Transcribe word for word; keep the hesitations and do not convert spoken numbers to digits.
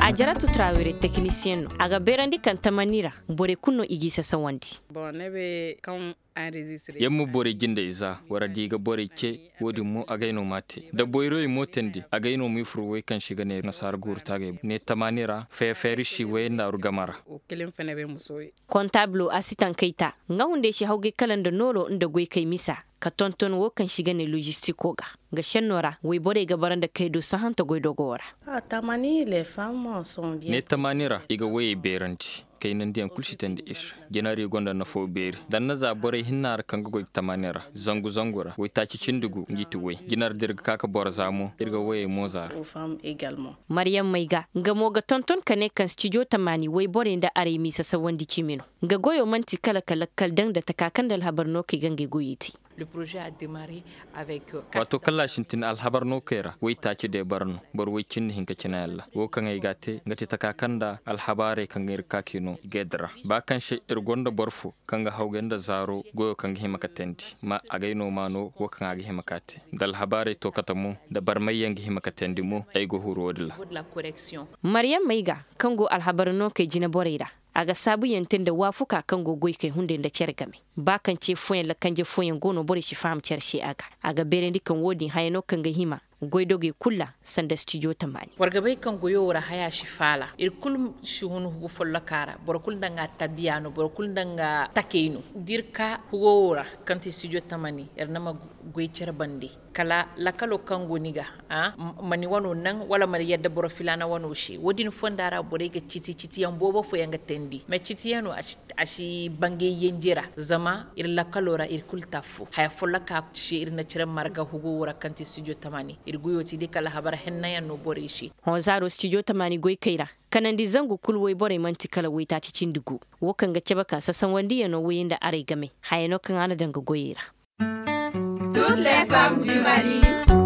A jaratu traawere tekinisiyeŋ no a ga beerandi kaŋ tamani ra. Borey kulu no i g'i sasawandi. Yamma borey jinde iza wara da i ga borey ce. Wo- din mo agay no m'a te da boyroy mo teendi agay no m'i fur way kaŋ se i ga ne nasaara guuru taagay ne tamaani ra feefeeri si way ndaaru game ra. Kontaabilo a si tankayta nga hunday si hawgay kala nda nooro nda goykay misa ka tonton wo kaŋ se i ga ne lojistiko ga. Nga senno ra wayborey ga bara nda kaydo sahanta goydogo ra. Ne tamaani ra i ga wayey beerandi kaynandiyaŋ kulu si teendi ir. Jinari gonda nafo beeri danna za borey hinna ra kaŋ ga goy ga tamaani ra zangu zangu ra waytaaci cindi gu ngi ti way jinar da ir ga ka ka boro za mo ir ga wayey mo za ra. Mariyam may ga nga mo ga tonton ka ne kaŋ stijo tamaani wayborey nda aray m'i sasawandi cimi no. Nga goyo manti kala ka lakkal daŋ nda taka kaŋ nda alhabar no kay ga ngey goyey te. Waato kaŋ ra a sintin alhabar no kay ra waytaaci day bara no boro way cindi hinka cina yalla wo kaŋ ay ga a te nga ti taka kaŋ nda alhabaarey kaŋ ga ir ga ka k'i no i ga ay dira ba kaŋ se ir gonda boro fo kaŋ ga hawgay nda zaaro goyo kaŋ ga hima ka teendi ma agay no ma no wo kaŋ a ga hima ka te nda alhabaarey to kate mo nda barmayyaŋ ga hima ka teendi mo ay ga huru wo- din ra. Mariyam may ga kaŋ go alhabar no kay jine borey ra a ga saabuyaŋ te nda waafuka kaŋ go goykey hunday nda care game. Ba kaŋ ce fooyaŋ lakanje fooyaŋ go no borey si faham care se a ga a ga beerandi kaŋ wo- din haya no kaŋ ga hima goydogey kulu ra sanda stijo tamaani. War ga bay kaŋ goyo wo ra haya si faala ir kulu si hun hugu folloka ra boro kulu nda nga tabiya no boro kulu nda nga takey no da ir ka hugo wo ra kaŋ ti stijo tamaani ir na ma goy care bande kala lakalo kaŋ go ni ga ma ni wano naŋ wala ma ni yadda boro filaana wano se wo- din fonda ra borey ga citi citiyaŋ boobo fooyaŋ ga teendi mais citiyaŋo a si bangay yanji ra zama ir lakalo ra ir kulu te affo haya folloka se ir na cire marga hugo wo ra kaŋ ti studio tamaani ir goyo ti day kala habara hennayaŋ no borey se. Hõ zaaro studio tamaani goykey ra kanandi zangu kulu wayborey manti kala waytaaci cindi gu wo kaŋ ga cabe ka sasawandiyaŋo wayey nda aray game haya no kaŋ a na daŋ ga goyey ra. Toutes les femmes du Mali.